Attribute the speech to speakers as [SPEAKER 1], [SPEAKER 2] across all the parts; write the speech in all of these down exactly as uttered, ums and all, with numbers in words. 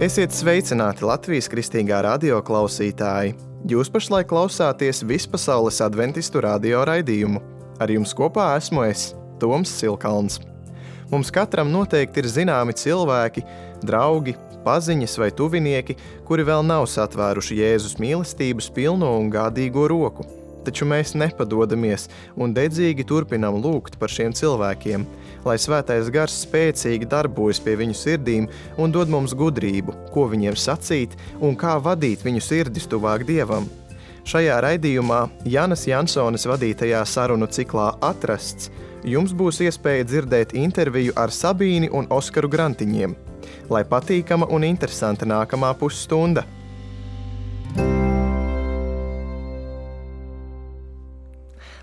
[SPEAKER 1] Esiet sveicināti Latvijas kristīgā radio klausītāji! Jūs pašlaik klausāties Vispasaules adventistu radio raidījumu. Ar jums kopā esmu es, Toms Silkalns. Mums katram noteikti ir zināmi cilvēki, draugi, paziņas vai tuvinieki, kuri vēl nav satvēruši Jēzus mīlestības pilno un gādīgo roku. Taču mēs nepadodamies un dedzīgi turpinam lūgt par šiem cilvēkiem, lai svētais gars spēcīgi darbojas pie viņu sirdīm un dod mums gudrību, ko viņiem sacīt un kā vadīt viņu sirdis tuvāk Dievam. Šajā raidījumā Janas Jansones vadītajā sarunu ciklā Atrasts jums būs iespēja dzirdēt interviju ar Sabīni un Oskaru Grantiņiem. Lai patīkama un interesanta nākamā pusstunda!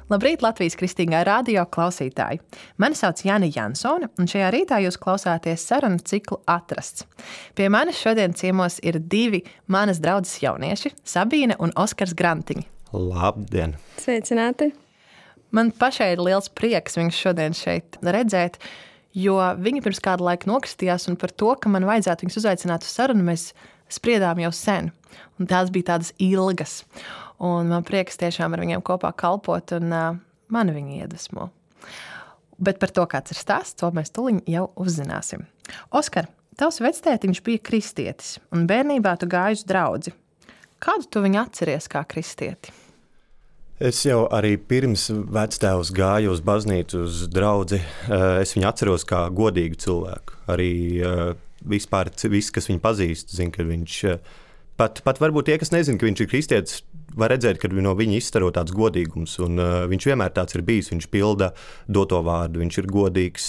[SPEAKER 2] Labrīt, Latvijas kristīgā radio klausītāji! Mani sauc Jana Jansone, un šajā rītā jūs klausāties sarunu ciklu Atrasts. Pie manis šodien ciemos ir divi manas draudzes jaunieši, Sabīne un Oskars Grantiņi.
[SPEAKER 3] Labdien!
[SPEAKER 4] Sveicināti!
[SPEAKER 2] Man pašai ir liels prieks viņus šodien šeit redzēt, jo viņi pirms kāda laika nokristījās, un par to, ka man vajadzētu viņus uzaicināt uz sarunu, mēs spriedām jau sen. Un tās bija tādas ilgas. Un man prieks tiešām ar viņiem kopā kalpot, un uh, mani viņi iedvesmo. Bet par to, kāds ir stāsts, to mēs tuliņ jau uzzināsim. Oskar, tavs vectētiņš bija kristietis, un bērnībā tu gāji uz draudzi. Kādu tu viņu atceries kā kristieti?
[SPEAKER 3] Es jau arī pirms vectēvs gāju uz baznīcu, uz draudzi. Es viņu atceros kā godīgu cilvēku. Arī vispār viss, kas viņu pazīst, zina, ka viņš... Pat, pat varbūt tie, kas nezina, ka viņš ir kristietis, var redzēt, ka no viņa izstaro tāds godīgums, un uh, viņš vienmēr tāds ir bijis, viņš pilda doto vārdu, viņš ir godīgs.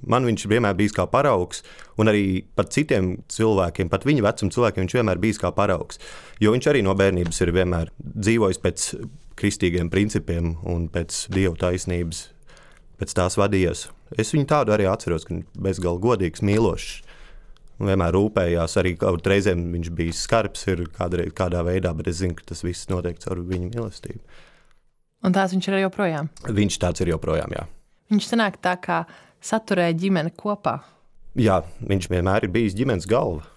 [SPEAKER 3] Man viņš vienmēr bijis kā paraugs, un arī pat citiem cilvēkiem, pat viņa vecuma cilvēkiem viņš vienmēr bijis kā paraugs, jo viņš arī no bērnības ir vienmēr dzīvojis pēc kristīgiem principiem un pēc Dieva taisnības, pēc tās vadījies. Es viņu tādu arī atceros, ka viņš bezgalīgi godīgs, mīlošs. Un vienmēr rūpējās, arī kaut reizēm viņš bija skarbs ir kādā, kādā veidā, bet es zinu, ka tas viss notiek caur viņa mīlestību.
[SPEAKER 2] Un tās viņš ir joprojām?
[SPEAKER 3] Viņš tāds ir joprojām, jā.
[SPEAKER 2] Viņš sanāk tā kā saturēja ģimeni kopā?
[SPEAKER 3] Jā, viņš vienmēr ir bijis ģimenes galva.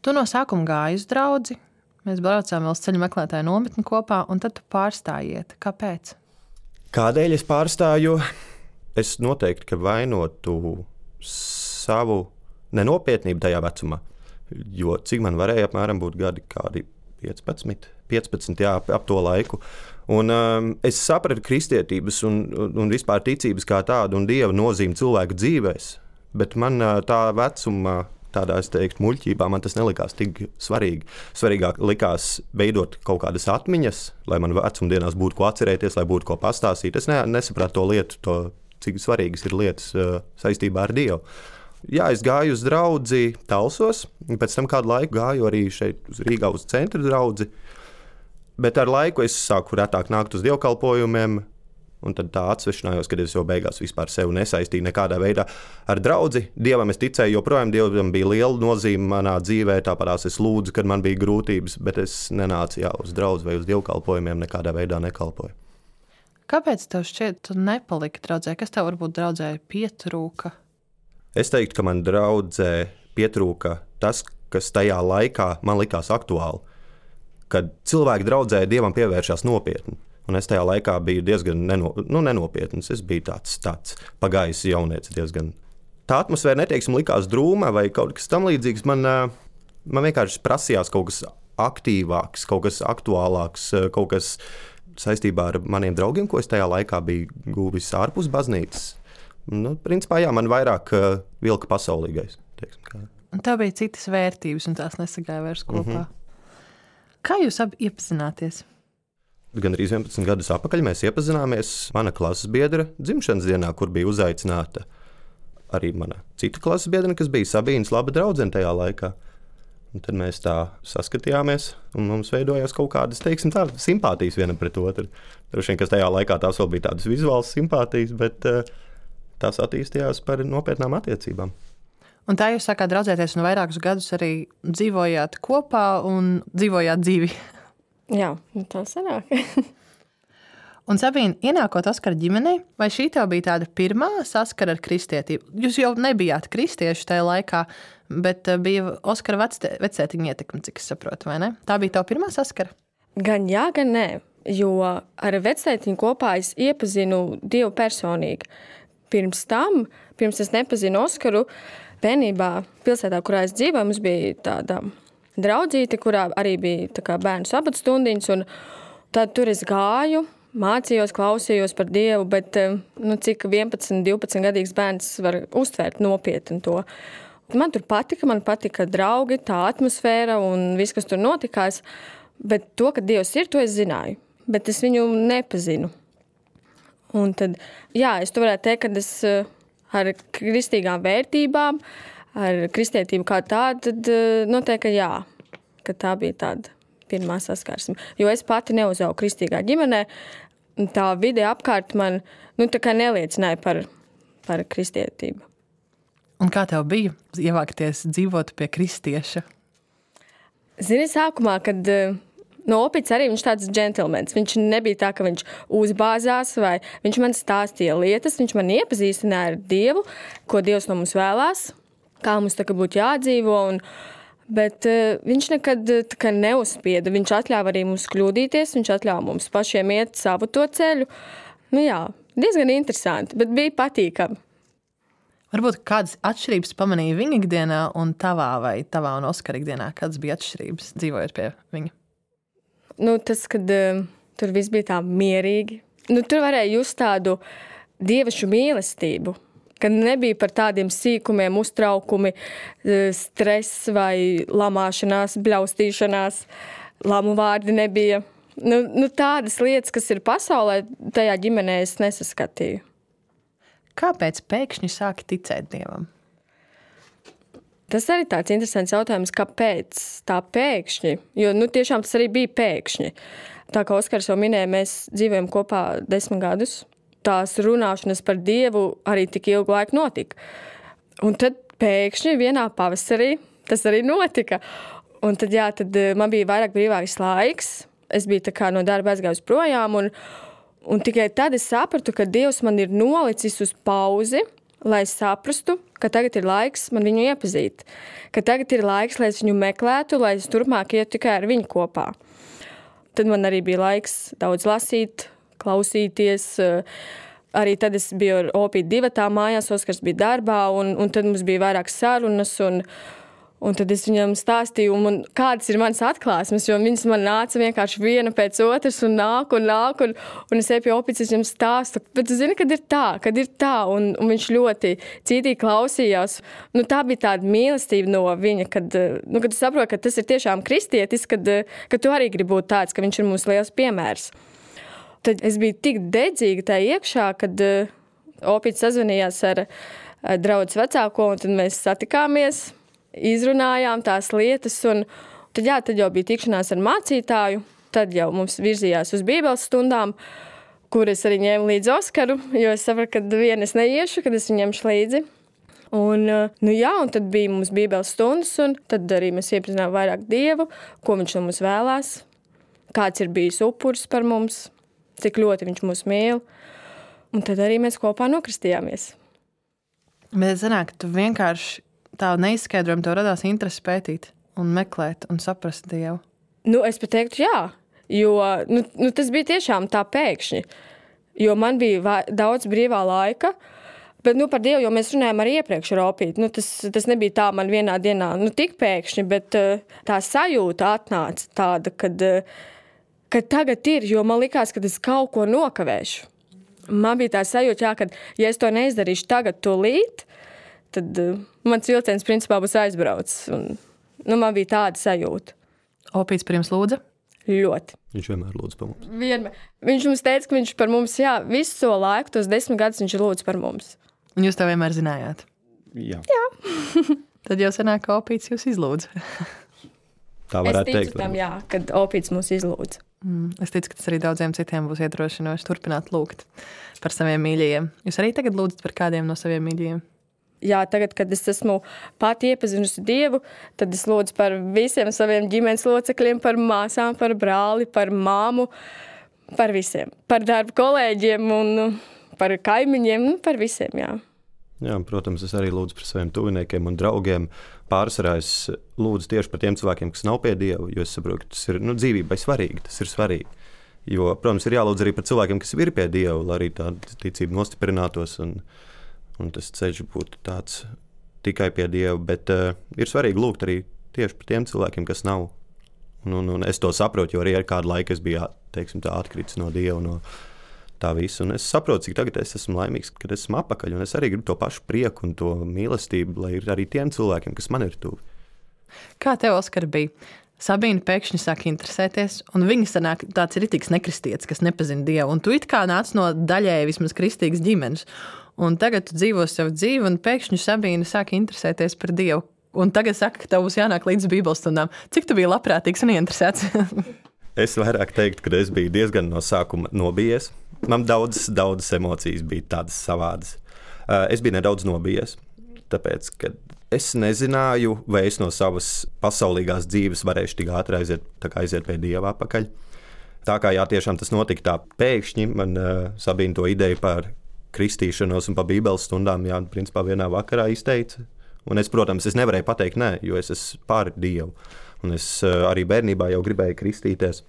[SPEAKER 2] Tu no sākuma gāji uz draudzi, mēs braucām vēl uz ceļu meklētāju nometni kopā, un tad tu pārstājiet. Kāpēc?
[SPEAKER 3] Kādēļ es pārstāju? Es noteikti, ka vainotu savu nenopietnība tajā vecumā, jo cik man varēja apmēram būt gadi kādi piecpadsmit, piecpadsmit jā, ap to laiku. Un um, es sapratu kristietības un, un vispār ticības kā tādu un Dieva nozīmi cilvēku dzīvēs, bet man uh, tā vecuma, tādā, es teiktu, muļķībā, man tas nelikās tik svarīgi. Svarīgāk likās veidot kaut kādas atmiņas, lai man vecumdienās būtu ko atcerēties, lai būtu ko pastāstīt. Es ne, nesapratu to lietu, to, cik svarīgas ir lietas uh, saistībā ar Dievu. Jā, es gāju uz draudzi Talsos, un pēc tam kādu laiku gāju arī šeit uz Rīgā uz centra draudzi, bet ar laiku es sāku retāk nākt uz dievkalpojumiem, un tad tā atsvešanājos, kad es jau beigās vispār sevi nesaistīju nekādā veidā ar draudzi. Dievam es ticēju, joprojām Dievam bija liela nozīme manā dzīvē, tāpatās es lūdzu, kad man bija grūtības, bet es nenācu jā, uz draudzi vai uz dievkalpojumiem, nekādā veidā nekalpoju.
[SPEAKER 2] Kāpēc tev šķiet, tu nepaliki draudzē? Kas tev varbūt draudzē pietrūka?
[SPEAKER 3] Es teiktu, ka man draudzē pietrūka tas, kas tajā laikā man likās aktuāli, kad cilvēki draudzē Dievam pievēršās nopietni. Un es tajā laikā biju diezgan neno, nu, nenopietns. Es biju tāds, tāds pagājis jaunietis diezgan. Tā atmosfēra, neteiksim, likās drūma vai kaut kas tam līdzīgs. Man, man vienkārši prasījās kaut kas aktīvāks, kaut kas aktuālāks, kaut kas saistībā ar maniem draugiem, ko es tajā laikā biju guvis ārpus baznīcas. Nu, principā, jā, man vairāk uh, vilka pasaulīgais. Teiksim, kā.
[SPEAKER 2] Un tev bija citas vērtības, un tās nesagāja vairs kopā. Mm-hmm. Kā jūs abi iepazināties?
[SPEAKER 3] Gan arī vienpadsmit gadus atpakaļ mēs iepazināmies mana klases biedra dzimšanas dienā, kur bija uzaicināta arī mana cita klases biedra, kas bija Sabīnas laba draudzene tajā laikā. Un tad mēs tā saskatījāmies, un mums veidojās kaut kādas, teiksim, tā, simpātijas vienam pret otru. Droši vien, kas tajā laikā tās vēl bija tādas vizuālas simpātijas, bet uh, tās attīstījās par nopietnām attiecībām.
[SPEAKER 2] Un tā jūs sākāt draudzēties un vairākus gadus arī dzīvojāt kopā un dzīvojāt dzīvi.
[SPEAKER 4] Jā, tā sanāk.
[SPEAKER 2] Un, Sabīne, ienākot Oskara ģimenei, vai šī tev bija tāda pirmā saskara ar kristietību? Jūs jau nebijāt kristieši tajā laikā, bet bija Oskara vecētiņa ietekme, cik es saprotu, vai ne? Tā bija tava pirmā saskara?
[SPEAKER 4] Gan jā, gan nē, jo ar vecētiņu kopā es iepazinu Dievu personīgi. Pirms tam, pirms es nepazinu Oskaru, bērnībā pilsētā, kurā es dzīvoju, mums bija tāda draudzīte, kurā arī bija tā kā bērnu sabatstundiņas, un tad tur es gāju, mācījos, klausījos par Dievu, bet nu, cik vienpadsmit, divpadsmit gadīgs bērns var uztvērt nopietni to. Man tur patika, man patika draugi, tā atmosfēra un viss, kas tur notikās, bet to, ka Dievs ir, to es zināju, bet es viņu nepazinu. Un tad, jā, es to varētu teikt, ka es ar kristīgām vērtībām, ar kristietību kā tādu, tad noteikti, ka jā, ka tā bija tāda pirmā saskarsme. Jo es pati neuzaugu kristīgā ģimenē, tā vide apkārt man nu, tā kā neliecināja par, par kristietību.
[SPEAKER 2] Un kā tev bija ievākties dzīvot pie kristieša?
[SPEAKER 4] Zini, sākumā, kad no Opits arī viņš tāds džentelmens. Viņš nebija tā, ka viņš uzbāzās vai viņš man stāstīja lietas, viņš man iepazīstināja ar Dievu, ko Dievs no mums vēlās, kā mums tā kā būtu jādzīvo un Bet uh, viņš nekad tā neuzspieda. Viņš atļāva arī mums kļūdīties, viņš atļāva mums pašiem iet savu to ceļu. Nu jā, diezgan interesanti, bet bija patīkami.
[SPEAKER 2] Varbūt kādas atšķirības pamanīja viņa ikdienā un tavā vai tavā un Oskara ikdienā? Kādas bija atšķirības dzīvojot pie viņa?
[SPEAKER 4] Nu, tas, kad uh, tur viss bija tā mierīgi. Nu, tur varēja just tādu dievišu mīlestību. Kad nebija par tādiem sīkumiem, uztraukumi, stress vai lamāšanās, bļaustīšanās, lamu vārdi nebija. Nu, nu tādas lietas, kas ir pasaulē, tajā ģimenē es nesaskatīju.
[SPEAKER 2] Kāpēc pēkšņi sāki ticēt Dievam?
[SPEAKER 4] Tas arī tāds interesants jautājums, kāpēc tā pēkšņi, jo nu, tiešām tas arī bija pēkšņi. Tā kā Oskars jau minēja, mēs dzīvojam kopā desmit gadus. Tās runāšanas par Dievu arī tik ilgu laiku notika. Un tad pēkšņi vienā pavasarī tas arī notika. Un tad, jā, tad man bija vairāk brīvāks laiks. Es biju tā kā no darba aizgājusi projām. Un, un tikai tad es sapratu, ka Dievs man ir nolicis uz pauzi, lai es saprastu, ka tagad ir laiks man viņu iepazīt. Ka tagad ir laiks, lai es viņu meklētu, lai es turpmāk ietu tikai ar viņu kopā. Tad man arī bija laiks daudz lasīt, klausīties. Arī tad es biju ar Opīti divatā mājās, Oskars bija darbā, un, un tad mums bija vairāk sarunas, un, un tad es viņam stāstīju, un, un kādas ir manas atklāsmes, jo viņas man nāca vienkārši viena pēc otras, un nāk, un nāk, un, un es eju pie Opītes, es viņam stāstu, bet tu zini, kad ir tā, kad ir tā, un, un viņš ļoti cītīgi klausījās. Nu, tā bija tāda mīlestība no viņa, kad, nu, kad tu saproti, ka tas ir tiešām kristietis, kad, kad tu arī gribi būt tāds, ka viņš ir mūsu liels piemērs. Tad es biju tik dedzīga tā iekšā, kad uh, Opīts sazvanījās ar uh, draudzes vecāko, un tad mēs satikāmies, izrunājām tās lietas, un tad, jā, tad jau bija tikšanās ar mācītāju, tad jau mums virzījās uz bībeles stundām, kur es arī ņēmu līdzi Oskaru, jo es sapratu, ka vien es neiešu, kad es viņu ņemšu līdzi. Un, uh, nu jā, un tad bija mums bībeles stundas, un tad arī mēs iepazinām vairāk Dievu, ko viņš no mums vēlās, kāds ir bijis upuris par mums, cik ļoti viņš mūs mīl. Un tad arī mēs kopā nokristījāmies.
[SPEAKER 2] Bet sanāk, tu vienkārši tā neizskaidrojumi tev radās interesi pētīt un meklēt un saprast Dievu.
[SPEAKER 4] Nu, es pat teiktu, jā. Jo nu, nu, tas bija tiešām tā pēkšņi. Jo man bija va- daudz brīvā laika. Bet nu, par Dievu, jo mēs runājām arī iepriekš ar Opīti. Nu, tas, tas nebija tā man vienā dienā, nu tik pēkšņi, bet uh, tā sajūta atnāca tāda, kad... Uh, ka tagad ir, jo man likās, ka es kaut ko nokavēšu. Man bija tā sajūta, jā, ka ja es to neizdarīšu tagad tūlīt, tad uh, mans vilciens principā būs aizbraucis. Un, nu, man bija tāda sajūta.
[SPEAKER 2] Opīts par jums lūdza?
[SPEAKER 4] Ļoti.
[SPEAKER 3] Viņš vienmēr lūdz par mums.
[SPEAKER 4] Vienmēr. Viņš mums teica, ka viņš par mums, jā, visu to laiku, tos desmit gadus viņš lūdz par mums.
[SPEAKER 2] Un jūs to vienmēr zinājāt?
[SPEAKER 3] Jā.
[SPEAKER 4] Jā.
[SPEAKER 2] Tad jau sanāk, ka Opīts jūs izlūdza.
[SPEAKER 3] Tā
[SPEAKER 4] Es
[SPEAKER 3] varētu
[SPEAKER 4] ticu
[SPEAKER 3] teikt.
[SPEAKER 4] tam,
[SPEAKER 3] varbūt.
[SPEAKER 4] jā, kad Opīts mūs izlūdz.
[SPEAKER 2] Mm, es ticu, ka tas arī daudziem citiem būs iedrošinoši turpināt lūgt par saviem mīļajiem. Jūs arī tagad lūdzat par kādiem no saviem mīļajiem?
[SPEAKER 4] Jā, tagad, kad es esmu pati iepazinusi Dievu, tad es lūdzu par visiem saviem ģimenes locekļiem, par māsām, par brāli, par māmu, Par visiem. Par darba kolēģiem un par kaimiņiem, nu, par visiem, jā.
[SPEAKER 3] Jā, protams, es arī lūdzu par saviem tuviniekiem un draugiem. Pārsvarā es lūdzu tieši par tiem cilvēkiem, kas nav pie Dieva, jo es saprotu, ka tas ir nu, dzīvībai svarīgi, tas ir svarīgi. Jo, protams, ir jālūdz arī par cilvēkiem, kas ir pie Dieva, lai arī tā ticība nostiprinātos un, un tas ceļš būtu tāds tikai pie Dieva, bet uh, ir svarīgi lūgt arī tieši par tiem cilvēkiem, kas nav. Un, un, un es to saprotu, jo arī ar kādu laiku es biju, teiksim, tā atkritis no Dieva, no tā visu. Un es saprotu, cik tagad es esmu laimīgs, kad esmu apakaļ, un es arī gribu to pašu prieku un to mīlestību, lai ir arī tiem cilvēkiem, kas man ir tuvi.
[SPEAKER 2] Kā tev, Oskar, bija? Sabīna pēkšņi sāk interesēties, un viņa sanāk tāds ritīgs nekristietis, kas nepazina Dievu, un tu it kā nāc no daļēji vismaz kristīgas ģimenes, un tagad tu dzīvo savu dzīvi, un pēkšņi Sabīna sāk interesēties par Dievu, un tagad saka, ka tev būs jānāk līdz bībeles stundām. Cik tu biji labprātīgs un ieinteresēts?
[SPEAKER 3] Es vairāk teiktu, ka es biju diezgan no sākuma nobijies. Man daudzas, daudzas emocijas bija tādas savādas. Es biju nedaudz nobijies, tāpēc, ka es nezināju, vai es no savas pasaulīgās dzīves varēšu tik ātri aiziet, tā kā aiziet pie Dieva apakaļ. Tā kā jā, tiešām tas notika tā pēkšņi, man uh, Sabīna to ideju par kristīšanos un par bībeles stundām, jā, principā vienā vakarā izteica. Un es, protams, es nevarēju pateikt nē, jo es esmu pār Dievu. Un es uh, arī bērnībā jau gribēju kristīties.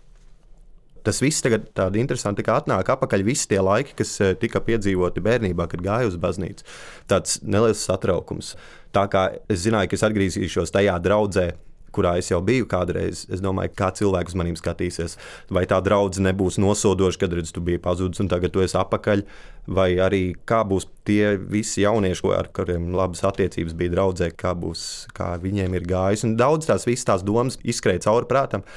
[SPEAKER 3] Tas viss tagad tādi interesanti, kā atnāk apakaļ visi tie laiki, kas tika piedzīvoti bērnībā, kad gāju uz baznīcu. Tāds neliels satraukums. Tā kā es zināju, ka es atgriezīšos tajā draudzē, kurā es jau biju kādreiz, es domāju, kā cilvēki uz maniem skatīsies. Vai tā draudze nebūs nosodoša, kad redz, tu biji pazudis un tagad tu esi apakaļ, vai arī kā būs tie visi jaunieši, ar kuriem labas attiecības bija draudzē, kā būs, kā viņiem ir gājis. Un daudz tās visas tās domas izskrēja cauri prātam.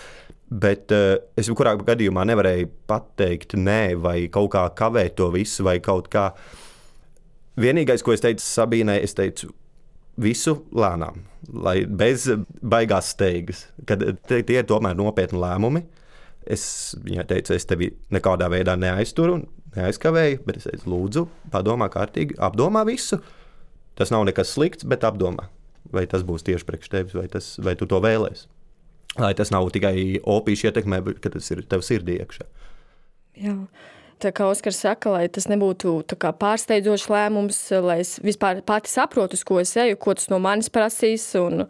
[SPEAKER 3] Bet uh, es jebkurā gadījumā nevarēju pateikt nē, vai kaut kā kavēt to visu, vai kaut kā. Vienīgais, ko es teicu Sabīnai, es teicu visu lēnām, lai bez baigās steigas, kad tie ir tomēr nopietni lēmumi. Es viņai teicu, es tevi nekādā veidā neaizturu, neaizkavēju, bet es teicu, lūdzu, padomā kārtīgi, apdomā visu. Tas nav nekas slikts, bet apdomā, vai tas būs tieši priekš tevis, vai, tas, vai tu to vēlēsi. Lai tas nav tikai opīšu ietekmē, bet tas ir tev sirdī iekšā.
[SPEAKER 4] Jā, tā kā Oskars saka, lai tas nebūtu tā kā pārsteidzošs lēmums, lai es vispār pati saprotu, uz ko es eju, ko tas no manis prasīs. Un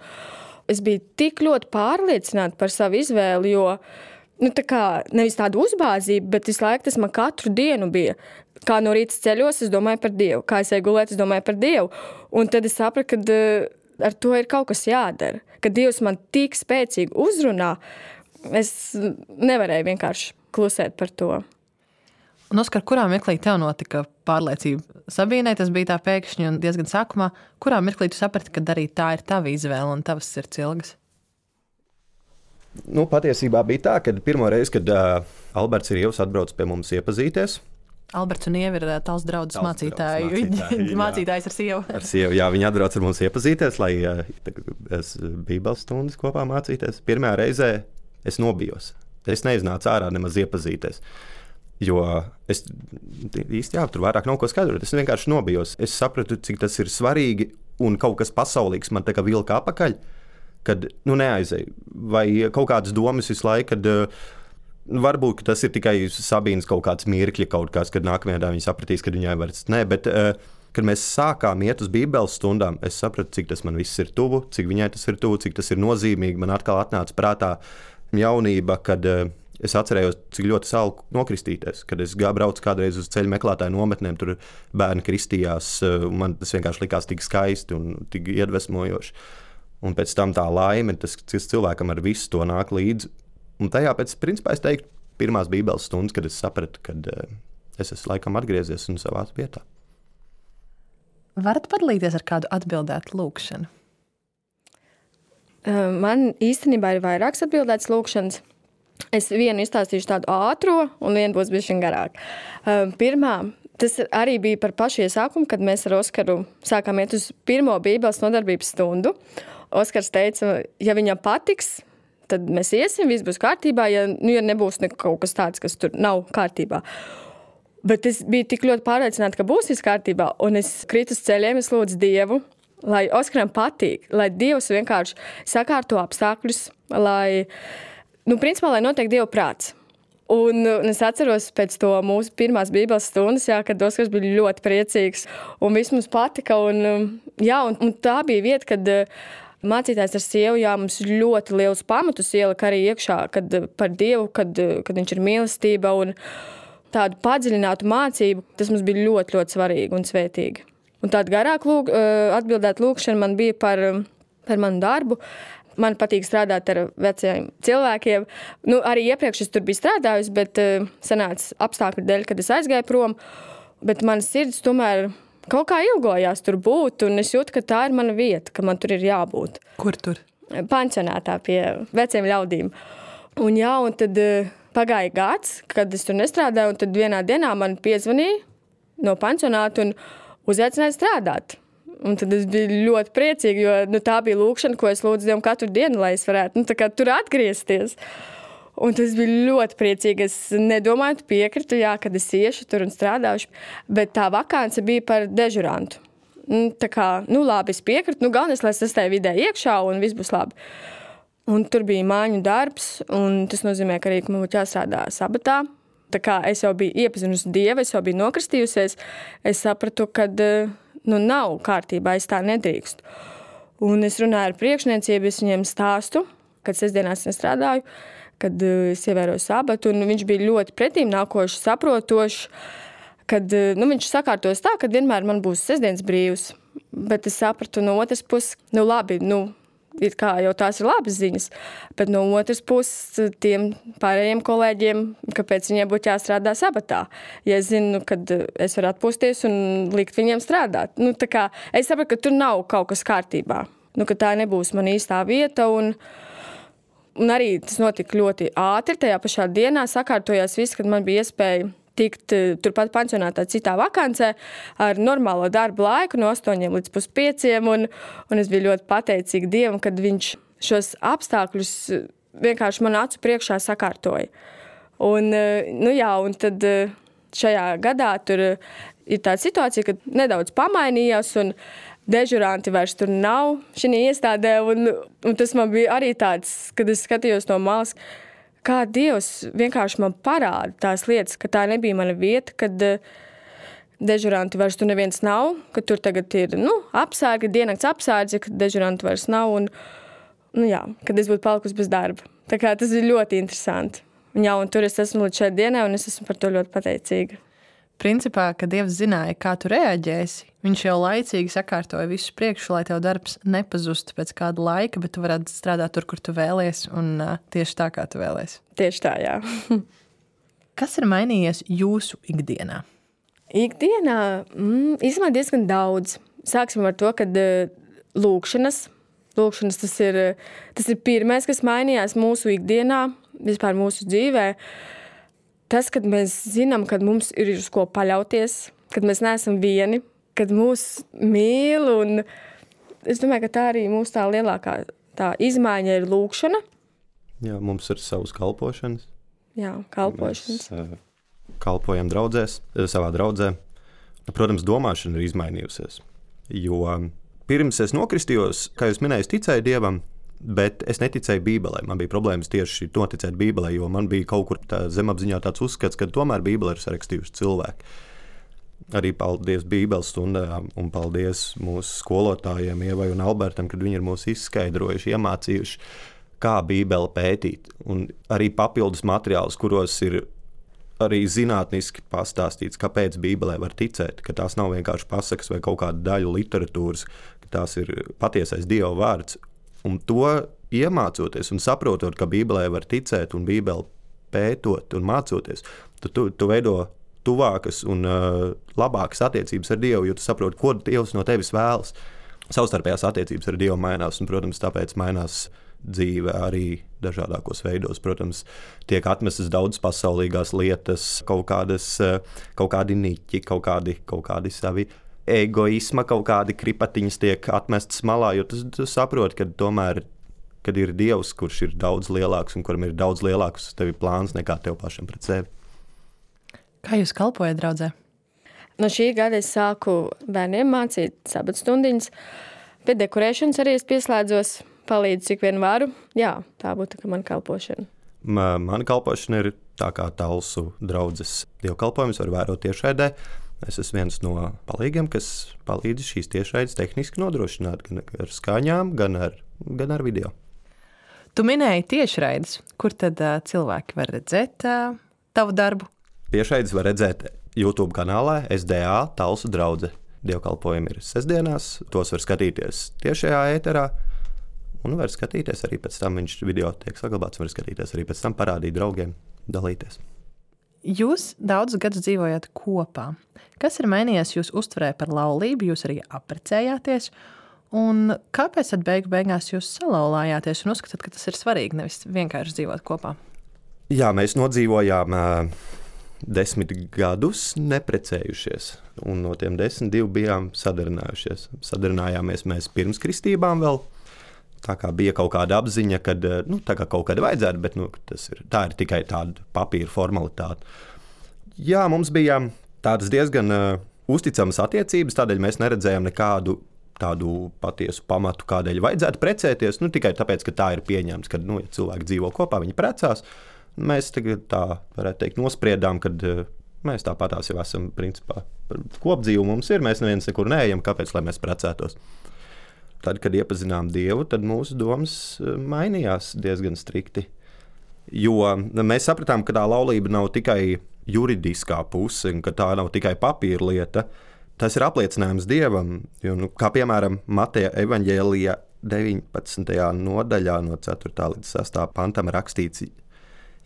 [SPEAKER 4] es biju tik ļoti pārliecināta par savu izvēli, jo nu, tā kā nevis tāda uzbāzība, bet visu laiku tas man katru dienu bija. Kā no rīta ceļos, es domāju par Dievu. Kā es eju gulēt, es domāju par Dievu. Un tad es sapratu, ka ar to ir kaut kas jādara. Kad Dievs man tik spēcīgi uzrunā, es nevarēju vienkārši klusēt par to.
[SPEAKER 2] Un, Oskar, kurā mirklī tev notika pārliecība? Sabīnai tas bija tā pēkšņi un diezgan sākumā. Kurā mirklī tu saprati, ka arī tā ir tava izvēle un tavas sirds ilgas?
[SPEAKER 3] Nu, patiesībā bija tā, ka pirmo reizi, kad uh, Alberts ir Ievs atbrauc pie mums iepazīties.
[SPEAKER 2] Alberts un Ieva ir tās draudzes mācītāji.
[SPEAKER 3] mācītāji
[SPEAKER 2] Mācītājs ar sievu.
[SPEAKER 3] Ar sievu, jā, viņi atbrauc ar mums iepazīties, lai es bībeles stundas kopā mācīties. Pirmajā reizē es nobijos. Es neiznācu ārā nemaz iepazīties. Jo es īsti jā, tur vairāk nav ko skaidrot. Es vienkārši nobijos. Es sapratu, cik tas ir svarīgi un kaut kas pasaulīgs man tā kā vilka apakaļ, kad nu neaizēju. Vai kaut kādas domas visu laiku, kad varbūt tas ir tikai Sabīnas kaut kāds mirkļi, kaut kāds, kad nākamajā dienā viņa sapratīs, ka viņai vairs nē, bet uh, kad mēs sākām iet uz bībeles stundām, es sapratu, cik tas man viss ir tuvu, cik viņai tas ir tuvu, cik tas ir nozīmīgi. Man atkal atnāca prātā jaunība, kad uh, es atcerējos, cik ļoti salku nokristīties, kad es braucu kādreiz uz ceļu meklētāju nometnēm, tur bērni kristījās, uh, man tas vienkārši likās tik skaisti un tik iedvesmojoši. Un pēc tam tā laime, tas cilvēkam ar visu to nāk līdzi. Un tajā pēc, principā, es teiktu, pirmās bībeles stundas, kad es sapratu, kad uh, es esmu laikam atgriezies un savā vietā.
[SPEAKER 2] Varat padalīties ar kādu atbildētu lūkšanu?
[SPEAKER 4] Uh, man īstenībā ir vairākas atbildētas lūkšanas. Es vienu izstāstīšu tādu ātro, un vienu būs bišķiņ garāk. Uh, pirmā, tas arī bija par pašu iesākumu, kad mēs ar Oskaru sākām iet uz pirmo bībeles nodarbības stundu. Oskars teica, ja viņam patiks, tad mēs iesim, viss būs kārtībā, ja, nu, ja nebūs ne kaut kas tāds, kas tur nav kārtībā. Bet es biju tik ļoti pārliecināta, ka būs viss kārtībā, un es kritu uz ceļiem, es lūdzu Dievu, lai Oskaram patīk, lai Dievs vienkārši sakārto apstākļus, lai, nu, principā, lai notiek Dieva prāts. Un, un es atceros pēc to mūsu pirmās bībeles stundas, jā, kad Oskars bija ļoti priecīgs un viss mums patika. Un, jā, un, un tā bija vieta, kad mācītājs ar sievu jā, mums ļoti liels pamatus ielika arī iekšā kad, par Dievu, kad, kad viņš ir mīlestība un tādu padziļinātu mācību. Tas mums bija ļoti, ļoti svarīgi un svētīgi. Un tāda garāk lūg, atbildēt lūkšana man bija par, par manu darbu. Man patīk strādāt ar veciem cilvēkiem. Nu, arī iepriekš es tur biju strādājusi, bet uh, sanāca apstākļu dēļ, kad es aizgāju prom. Bet mana sirds tomēr kaut kā ilgojās tur būt, un es jūtu, ka tā ir mana vieta, ka man tur ir jābūt.
[SPEAKER 2] Kur tur?
[SPEAKER 4] Pansionātā pie veciem ļaudīm. Un jā, un tad uh, pagāja gads, kad es tur nestrādāju, un tad vienā dienā man piezvanīja no pansionāta un uzaicināja strādāt. Un tad es biju ļoti priecīga, jo nu, tā bija lūkšana, ko es lūdzu Dievam katru dienu, lai es varētu nu, tā kā tur atgriezties. Un tas bija ļoti priecīgi. Es nedomāju, tu piekritu, jā, kad es iešu tur un strādāšu, bet tā vakance bija par dežurantu. Tā kā, nu labi, es piekritu, nu galvenais, lai es esmu tajā vidē iekšā un viss būs labi. Un tur bija māņu darbs, un tas nozīmē, ka arī man būtu jāstrādā sabatā. Tā kā es jau biju iepazinusi Dievu, es jau biju nokristījusies, es sapratu, kad nu, nav kārtībā, es tā nedrīkstu. Un es runāju ar priekšniecību, es viņiem stāstu, kad sestdienās nestrādāju, kad es ievēroju sabatu, un viņš bija ļoti pretīm nākošs, saprotošs, kad nu, viņš sakārtos tā, ka vienmēr man būs sestdienas brīvs. Bet es sapratu no otras puses, nu labi, nu, ir kā jau tās ir labas ziņas, bet no otras puses tiem pārējiem kolēģiem, kāpēc viņiem būtu jāstrādā sabatā. Ja es zinu, kad es varu atpūsties un likt viņiem strādāt. Nu, tā kā es sapratu, ka tur nav kaut kas kārtībā. Nu, ka tā nebūs man īstā vieta un, un arī tas notika ļoti ātri. Tajā pašā dienā sakārtojās viss, kad man bija iespēja tikt turpat pansionātā citā vakancē ar normālo darbu laiku no astoņiem līdz puspieciem, un, un es biju ļoti pateicīga Dievam, kad viņš šos apstākļus vienkārši man acu priekšā sakārtoja. Un, nu jā, un tad šajā gadā tur ir tāda situācija, ka nedaudz pamainījās, un dežuranti vairs tur nav šī iestādē, un, un tas man bija arī tāds, kad es skatījos no malas, kā Dievs vienkārši man parāda tās lietas, ka tā nebija mana vieta, kad dežuranti vairs tur neviens nav, ka tur tagad ir nu, apsārgi, diennakts apsārdzi, ka dežuranti vairs nav un, nu jā, kad es būtu palikusi bez darba. Tā kā tas ir ļoti interesanti. Un jā, un tur es esmu līdz šai dienai, un es esmu par to ļoti pateicīga.
[SPEAKER 2] Principā, kad Dievs zināja, kā tu reaģēsi, viņš jau laicīgi sakārtoja visu priekšu, lai tev darbs nepazustu pēc kāda laika, bet tu varētu strādāt tur, kur tu vēlies, un uh, tieši tā, kā tu vēlies.
[SPEAKER 4] Tieši tā, jā.
[SPEAKER 2] Kas ir mainījies jūsu ikdienā?
[SPEAKER 4] Ikdienā mm, īstenībā diezgan daudz. Sāksim ar to, kad uh, lūkšanas, lūkšanas tas ir, tas ir pirmais, kas mainījās mūsu ikdienā, vispār mūsu dzīvē. Tas, kad mēs zinām, kad mums ir uz ko paļauties, kad mēs neesam vieni, kad mūs mīl, un es domāju, ka tā arī mūsu tā lielākā tā izmaiņa ir lūkšana.
[SPEAKER 3] Jā, mums ir savas kalpošanas.
[SPEAKER 4] Jā, kalpošanas.
[SPEAKER 3] Mēs uh, kalpojam draudzēs, savā draudzē. Protams, domāšana ir izmainījusies, jo pirms es nokristījos, kā jūs minējāt, ticēju Dievam, bet es neticēju Bībelē. Man bija problēmas tieši noticēt Bībelē, jo man bija kaut kur tā zemapziņā tāds uzskats, ka tomēr Bībele ir sarakstījusi cilvēki. Arī paldies Bībeles stundām un paldies mūsu skolotājiem Ievai un Albertam, kad viņi ir mūs izskaidrojuši, iemācījuši, kā Bībele pētīt. Un arī papildus materiālus, kuros ir arī zinātniski pastāstīts, kāpēc Bībelē var ticēt, ka tās nav vienkārši pasakas vai kaut kāda daļu literatūras, ka tās ir patiesais Dieva vārds. Un to iemācoties un saprotot, ka Bībelē var ticēt un Bībeli pētot un mācoties, tu, tu, tu veido tuvākas un uh, labākas attiecības ar Dievu, jo tu saproti, ko Dievs no tevis vēlas. Savstarpējās attiecības ar Dievu mainās, un, protams, tāpēc mainās dzīve arī dažādākos veidos. Protams, tiek atmestas daudz pasaulīgās lietas, kaut kādas, kaut kādi niķi, kaut kādi, kaut kādi savi egoisma, kaut kādi kripatiņas tiek atmestas malā, jo tu, tu saproti, ka tomēr, kad ir Dievs, kurš ir daudz lielāks un kuram ir daudz lielāks tevi plāns nekā tev pašam pret sevi.
[SPEAKER 2] Kā jūs kalpojat draudzē?
[SPEAKER 4] No šī gada es sāku bērniem mācīt sabatstundiņas. Pie dekorēšanas arī es pieslēdzos, palīdzu cik vien varu. Jā, tā būtu tā, ka man kalpošana.
[SPEAKER 3] Mana kalpošana ir tā kā Talsu draudzes dievkalpojumus var vērot tiešraidē. Es esmu viens no palīgiem, kas palīdz šīs tiešraides tehniski nodrošināt gan ar skaņām, gan ar, gan ar video.
[SPEAKER 2] Tu minēji tiešraides, kur tad uh, cilvēki var redzēt uh, tavu darbu?
[SPEAKER 3] Tiešraides var redzēt YouTube kanālā S D A Talsu draudze. Dievkalpojumi ir sestdienās, tos var skatīties tiešajā ēterā. Un var skatīties arī pēc tam, viņš video tiek saglabāts, var skatīties arī pēc tam parādīt draugiem, dalīties.
[SPEAKER 2] Jūs daudzus gadus dzīvojat kopā. Kas ir mainījies jūs uztverē par laulību, jūs arī apprecējāties? Un kāpēc tad beigu beigās jūs salauzājāties un uzskatāt, ka tas ir svarīgi, nevis vienkārši dzīvot kopā?
[SPEAKER 3] Jā, mēs nodzīvojām uh, desmit gadus neprecējušies. Un no tiem desmit divi bijām sadarinājušies. Sadarinājamies mēs pirms kristībām vēl. Tā kā bija kaut kāda apziņa, ka nu, tā kā kaut kāda vajadzētu, bet nu, tas ir, tā ir tikai tāda papīra formalitāte. Jā, mums bija tādas diezgan uh, uzticamas attiecības, tādēļ mēs neredzējām nekādu tādu patiesu pamatu, kādēļ vajadzētu precēties. Nu, tikai tāpēc, ka tā ir pieņemts, ka nu, ja cilvēki dzīvo kopā, viņi precās. Mēs tagad tā, varētu teikt, nospriedām, ka uh, mēs tāpatās jau esam principā kopdzīvu mums ir, mēs neviens nekur neejam, kāpēc, lai mēs precētos. Tad, kad iepazinām Dievu, tad mūsu domas mainījās diezgan strikti. Jo mēs sapratām, ka tā laulība nav tikai juridiskā puse, un ka tā nav tikai papīra lieta. Tas ir apliecinājums Dievam. Jo, nu, kā piemēram Mateja evaņģēlijā deviņpadsmitajā nodaļā no ceturtā līdz sestā pantam rakstīts: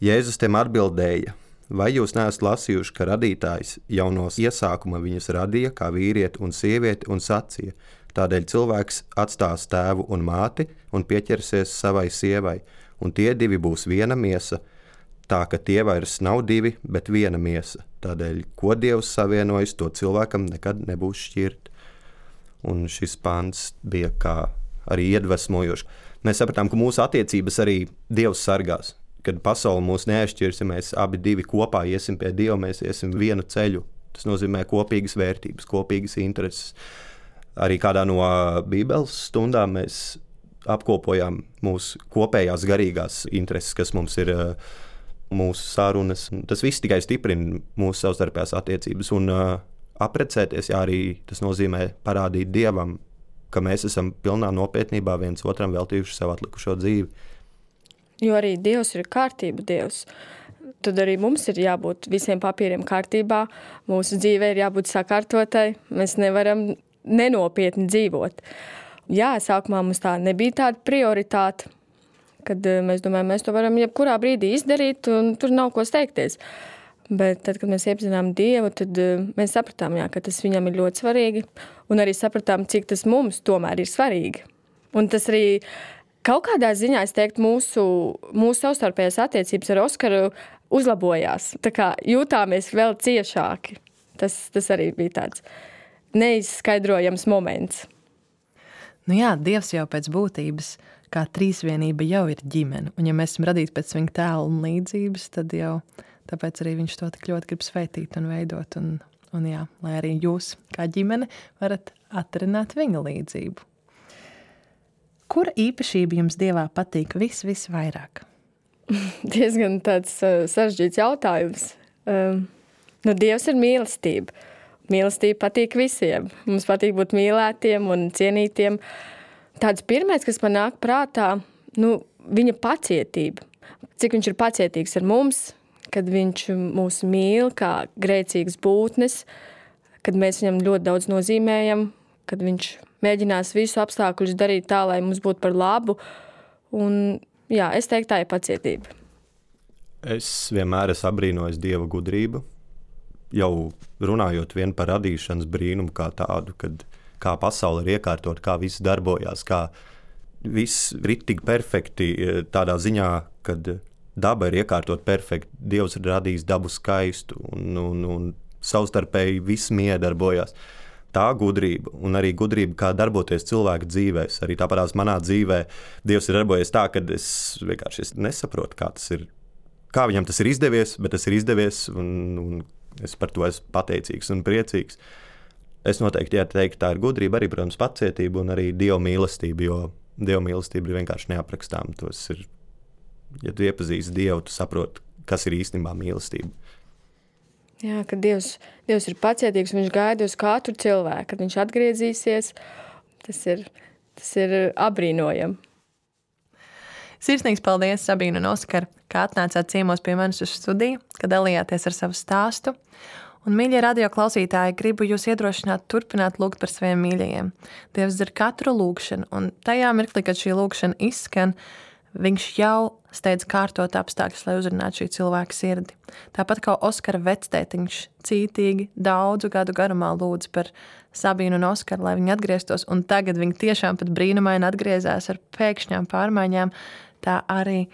[SPEAKER 3] Jēzus tiem atbildēja: vai jūs neesat lasījuši, ka radītājs jau no iesākuma viņus radīja kā vīrieti un sievieti un sacīja: tādēļ cilvēks atstās tēvu un māti un pieķersies savai sievai, un tie divi būs viena miesa, tā ka tie vairs nav divi, bet viena miesa. Tādēļ, ko Dievs savienojis, to cilvēkam nekad nebūs šķirt. Un šis pants bija kā arī iedvesmojošs. Mēs sapratām, ka mūsu attiecības arī Dievs sargās. Kad pasaule mūs neatšķirs, ja mēs abi divi kopā iesim pie Dieva, mēs iesim vienu ceļu. Tas nozīmē kopīgas vērtības, kopīgas intereses. Arī kādā no Bībeles stundām mēs apkopojām mūsu kopējās garīgās intereses, kas mums ir mūsu sarunas. Tas viss tikai stiprina mūsu savstarpējās attiecības. Un uh, apprecēties, jā, arī tas nozīmē parādīt Dievam, ka mēs esam pilnā nopietnībā viens otram veltījuši sev atlikušo dzīvi.
[SPEAKER 4] Jo arī Dievs ir kārtība Dievs. Tad arī mums ir jābūt visiem papīriem kārtībā. Mūsu dzīve ir jābūt sakārtotai. Mēs nevaram nenopietni dzīvot. Jā, sākumā mums tā nebija tāda prioritāte, kad mēs domājam, mēs to varam jebkurā brīdī izdarīt, un tur nav ko steigties. Bet tad, kad mēs iepazinām Dievu, tad mēs sapratām, jā, ka tas viņam ir ļoti svarīgi, un arī sapratām, cik tas mums tomēr ir svarīgi. Un tas arī kaut kādā ziņā, es teiktu, mūsu, mūsu savstarpējās attiecības ar Oskaru uzlabojās. Tā kā jūtāmies vēl ciešāki. Tas, tas arī bija tāds neizskaidrojams moments.
[SPEAKER 2] Nu jā, Dievs jau pēc būtības, kā trīsvienība jau ir ģimene. Un ja mēs esam radīti pēc viņa tēla un līdzības, tad jau tāpēc arī viņš to tik ļoti grib svētīt un veidot. Un, un jā, lai arī jūs kā ģimene varat atrināt viņa līdzību. Kura īpašība jums Dievā patīk vis, visvairāk?
[SPEAKER 4] Diezgan tāds uh, sarežģīts jautājums. Um, nu, Dievs ir mīlestība. Mīlestība patīk visiem. Mums patīk būt mīlētiem un cienītiem. Tāds pirmais, kas man nāk prātā, nu, viņa pacietība. Cik viņš ir pacietīgs ar mums, kad viņš mūs mīl kā grēcīgas būtnes, kad mēs viņam ļoti daudz nozīmējam, kad viņš mēģinās visu apstākļus darīt tā, lai mums būtu par labu. Un, jā, es teiktu, tā ir pacietība.
[SPEAKER 3] Es vienmēr esmu apbrīnojis Dieva gudrību. Jau runājot vien par radīšanas brīnumu kā tādu, kad kā pasaule ir iekārtot, kā viss darbojās, kā viss ir tik perfekti tādā ziņā, kad daba ir iekārtot perfekti, Dievs ir radījis dabu skaistu un, un, un savstarpēji viss miedarbojās. Tā gudrība un arī gudrība, kā darboties cilvēku dzīvēs. Arī tāpatās manā dzīvē Dievs ir darbojies tā, ka es vienkārši es nesaprotu, kā tas ir, kā viņam tas ir izdevies, bet tas ir izdevies un, un es par to esmu pateicīgs un priecīgs. Es noteikti ieteiktu, tā ir gudrība, arī, protams, pacietība un arī Dieva mīlestība, jo Dieva mīlestība ir vienkārši neaprakstām. Tas ir, ja tu iepazīsti Dievu, tu saproti, kas ir īstenībā mīlestība.
[SPEAKER 4] Jā, ka Dievs, Dievs ir pacietīgs, viņš gaida uz katru cilvēku, kad viņš atgriezīsies. Tas ir, tas ir apbrīnojami.
[SPEAKER 2] Sirsnīgs paldies, Sabīna un Oskar, ka atnācāt ciemos pie manis uz studiju, ka dalījāties ar savu stāstu. Un, mīļie radio klausītāji, gribu jūs iedrošināt turpināt lūgt par saviem mīļajiem. Dievs dzird katru lūgšanu, un tajā mirklī, kad šī lūgšana izskan, viņš jau steidz kārtot apstākļus, lai uzrunātu šī cilvēka sirdi. Tāpat kā Oskara vectētiņš cītīgi daudzu gadu garumā lūdz par Sabīnu un Oskaru, lai viņi atgrieztos, un tagad viņi tiešām pat brīnumaini atgriezās ar pēkšņām pārmaiņām, tā arī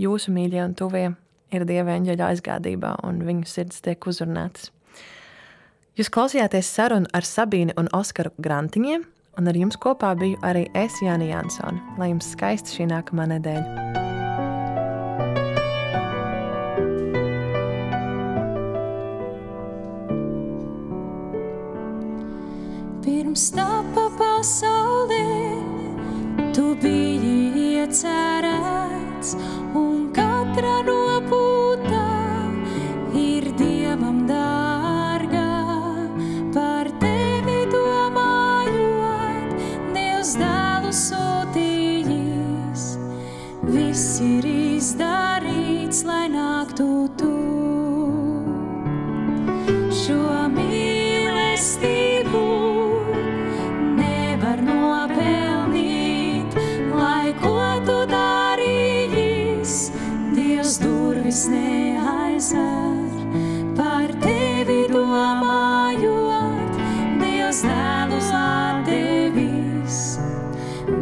[SPEAKER 2] jūsu mīļie un tuvie ir Dieva eņģeļa aizgādībā, un viņu sirds tiek uzrunātas. Jūs klausījāties sarunu ar Sabīnu un Oskaru Grantiņiem, un ar jums kopā biju arī es, Jāni Jansoni. Lai jums skaista šī nākamā nedēļa.
[SPEAKER 5] Pirms tapa pasaulē, tu biji iecerēts, un katra nopūtā ir Dievam dārga. Par tevi domājot, Dievs dēlu sūtījis, viss ir izdarīts, lai nāktu tu. Šo mīlestību nevar nopelnīt, lai ko tu darījis, Dievs durvis neaizver. Par tevi domājot, Dievs dēlu atdevis,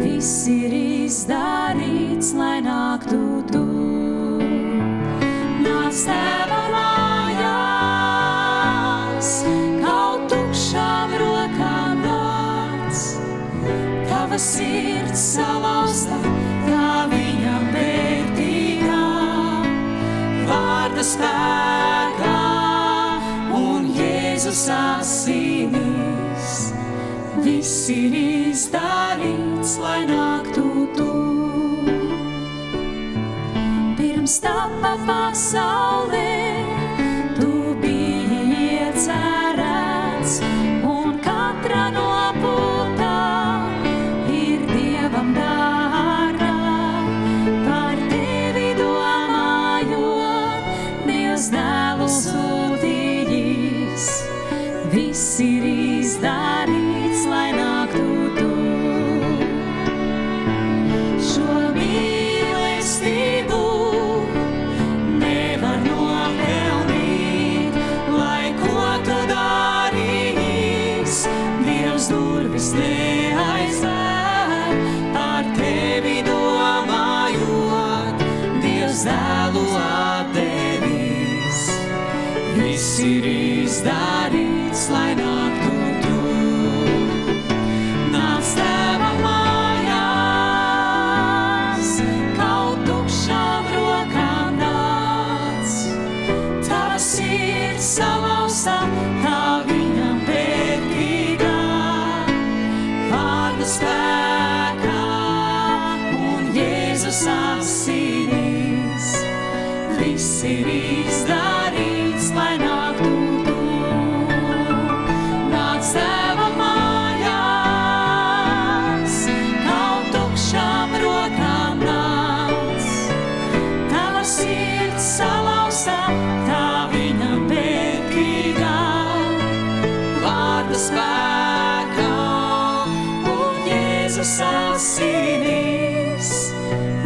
[SPEAKER 5] viss ir izdarīts, lai nāktu tu. Nāc tēva mājās, kaut tukšām rokām nāc, tava sirds salauzta, kā viņam vērtīgā vārda spēkā un Jēzus asinīs. Viss ir izdarīts, lai nāktu tu. Pirms tapa pasaulē, tu biji iecerēts, un katra nopūtā ir Dievam dārga. Par tevi domājot, Dievs dēlu sūtījis, viss ir izdarīts, lai nāktu tu. Šo mīlestību nevar nopelnīt, lai ko tu darījis, Dievs durvis neaizver. Par tevi domājot, Dievs dēlu atdevis, viss ir izdarīts, lai nāktu tu. Nāc tēva mājās, kaut tukšām rokām nāc, tava sirds salauzta, kā viņam vērtīgā vārda spēkā un Jēzus asinīs. Viss ir izdarīts, lai nāktu tu. Nāc tēva mājās, kaut tukšām rokām nāc, tava sirds salauzta, tā viņam vērtīgā vārda spēkā un Jēzus asinīs.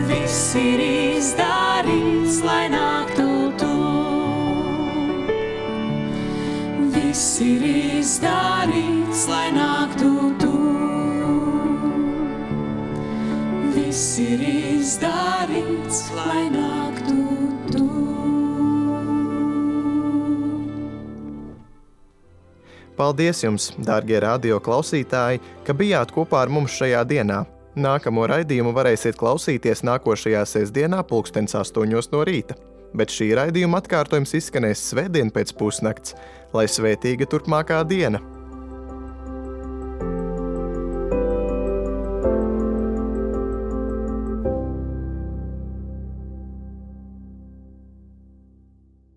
[SPEAKER 5] Viss ir izdarīts, lai nāktu tu. Viss ir izdarīts, lai nāktu tu. Viss ir izdarīts, lai nāktu tu.
[SPEAKER 1] Paldies jums, dārgie radio klausītāji, ka bijāt kopā ar mums šajā dienā. Nākamo raidījumu varēsiet klausīties nākošajā sestdienā pulkstens astoņos no rīta, bet šī raidījuma atkārtojums izskanēs svētdien pēc pusnakts, lai svētīga turpmākā diena!